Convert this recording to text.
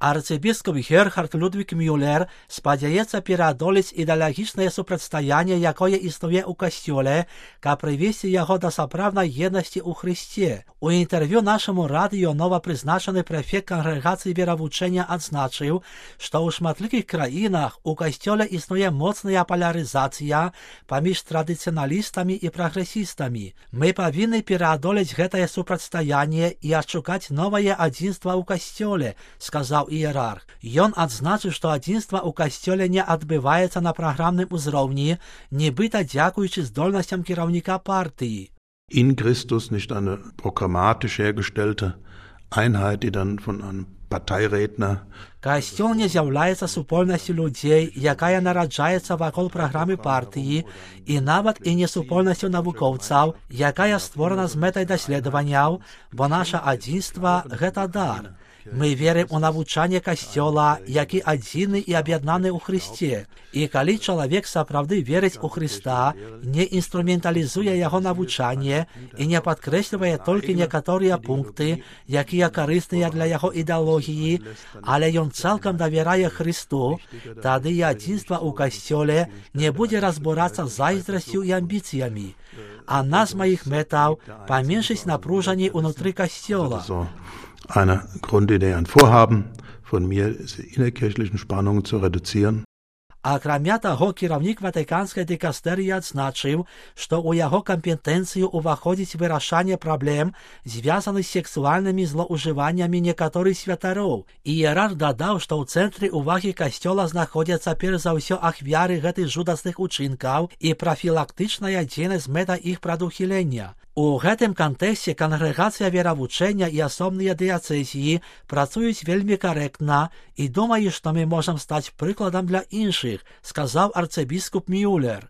Арцыбіскуп Герхард Людвік Мюллер спадзяецца пераадолець ідэалагічнае супрацьстаянне, якое існуе ў касцёле, каб прывесці яго да сапраўднай еднасці ў Хрысце. У інтэрв'ю нашаму радыё новапрызначаны прэфект кангрэгацыі веравучэння адзначыў, што ў шматлікіх краінах у касцёле існуе моцная палярызацыя паміж традыцыяналістамі і прагрэсістамі. Мы павінны пераадолець гэтае супрацьстаянне і адшукаць новае адзінства ў касцёле, сказаў іерарх. Ён адзначыў, што адзінства ў касцёле не адбываецца на праграмным узроўні, нібыта дзякуючы здольнасцям кіраўніка партыі. In Christus nicht eine programmatisch hergestellte Einheit, die dann von einem Parteiredner. Касцёл не з'яўляецца супольнасцю людзей, якая нараджаецца вакол праграмы партыі, і нават і не супольнасцю навукоўцаў, якая створана з мэтай даследаванняў, бо наша адзінства – гэта дар. Мы верым у навучанне касцёла, які адзіны і аб'яднаны ў Хрысце. І калі чалавек сапраўды верыць у Хрыста, не інструменталізуе яго навучанне і не падкрэслівае толькі некаторыя пункты, якія карысныя для яго ідэалогіі, але ён цалкам давярае Хрысту, тады і адзінства ў касцёле не будзе разбурацца зайздрасцю і амбіцыямі. Адна з маіх мэтаў – паменшыць напружанне ўнутры касцёла. Eine Grundidee, ein Vorhaben von mir, diese innerkirchlichen Spannungen zu reduzieren. Акрамя таго, кіраўнік Ватыканскай дыкастэрыі адзначыў, што ў яго кампетэнцыю ўваходзіць вырашанне праблем, звязаных з сексуальнымі злоўжываннямі некаторых святароў. Іерарх дадаў, што ў цэнтры ўвагі касцёла знаходзяцца перш за ўсё ахвяры гэтых жудасных учынкаў і прафілактычная дзейнасць з мэтай іх прадухілення. У гэтым кантэксце кангрэгацыя веравучэння і асобныя дыяцэзіі працуюць вельмі карэктна і думаю, што мы можам стаць прыкладам для іншых, сказаў арцыбіскуп Мюллер.